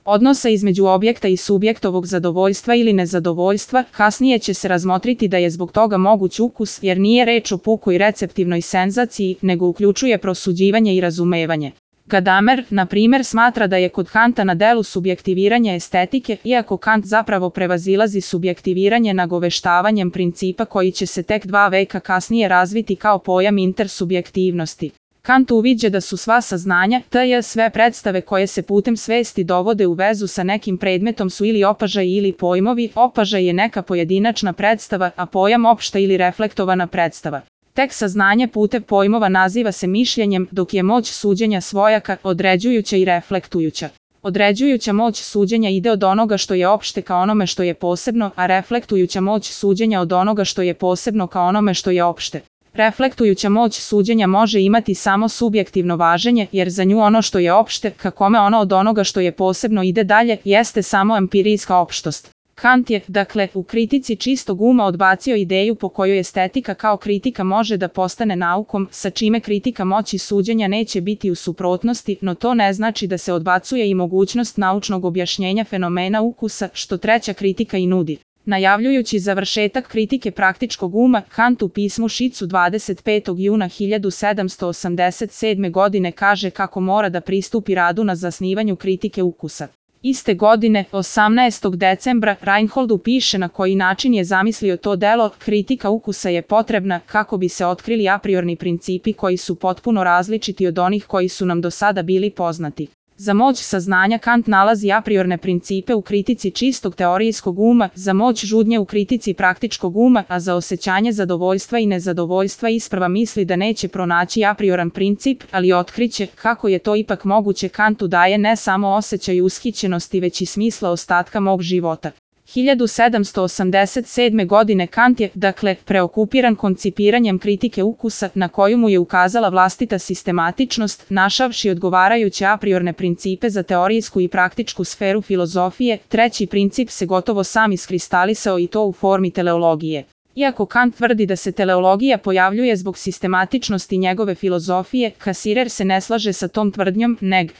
odnosa između objekta i subjektovog zadovoljstva ili nezadovoljstva, kasnije će se razmotriti da je zbog toga moguć ukus, jer nije reč o pukoj receptivnoj senzaciji, nego uključuje prosuđivanje i razumevanje. Gadamer, na primjer, smatra da je kod Kanta na delu subjektiviranje estetike, iako Kant zapravo prevazilazi subjektiviranje nagoveštavanjem principa koji će se tek 2 veka kasnije razviti kao pojam intersubjektivnosti. Kant uviđa da su sva saznanja, tj. sve predstave koje se putem svesti dovode u vezu sa nekim predmetom su ili opažaj ili pojmovi. Opažaj je neka pojedinačna predstava, a pojam opšta ili reflektovana predstava. Tek saznanje putem pojmova naziva se mišljenjem, dok je moć suđenja svojaka, određujuća i reflektujuća. Određujuća moć suđenja ide od onoga što je opšte ka onome što je posebno, a reflektujuća moć suđenja od onoga što je posebno ka onome što je opšte. Reflektujuća moć suđenja može imati samo subjektivno važenje, jer za nju ono što je opšte, ka kome ono od onoga što je posebno ide dalje, jeste samo empirijska opštost. Kant je, dakle, u kritici čistog uma odbacio ideju po kojoj estetika kao kritika može da postane naukom, sa čime kritika moći suđenja neće biti u suprotnosti, no to ne znači da se odbacuje i mogućnost naučnog objašnjenja fenomena ukusa, što treća kritika i nudi. Najavljujući završetak kritike praktičkog uma, Kant u pismu Šicu 25. juna 1787. godine kaže kako mora da pristupi radu na zasnivanju kritike ukusa. Iste godine, 18. decembra, Reinholdu piše na koji način je zamislio to delo. Kritika ukusa je potrebna kako bi se otkrili a priorni principi koji su potpuno različiti od onih koji su nam do sada bili poznati. Za moć saznanja Kant nalazi a priorne principe u kritici čistog teorijskog uma, za moć žudnje u kritici praktičkog uma, a za osjećanje zadovoljstva i nezadovoljstva isprva misli da neće pronaći a prioran princip, ali otkriće kako je to ipak moguće. Kantu daje ne samo osjećaj ushićenosti, već i smisla ostatka mog života. 1787. godine Kant je, dakle, preokupiran koncipiranjem kritike ukusa, na koju mu je ukazala vlastita sistematičnost, našavši odgovarajuće a priorne principe za teorijsku i praktičku sferu filozofije. Treći princip se gotovo sam iskristalisao i to u formi teleologije. Iako Kant tvrdi da se teleologija pojavljuje zbog sistematičnosti njegove filozofije, Cassirer se ne slaže sa tom tvrdnjom, neg.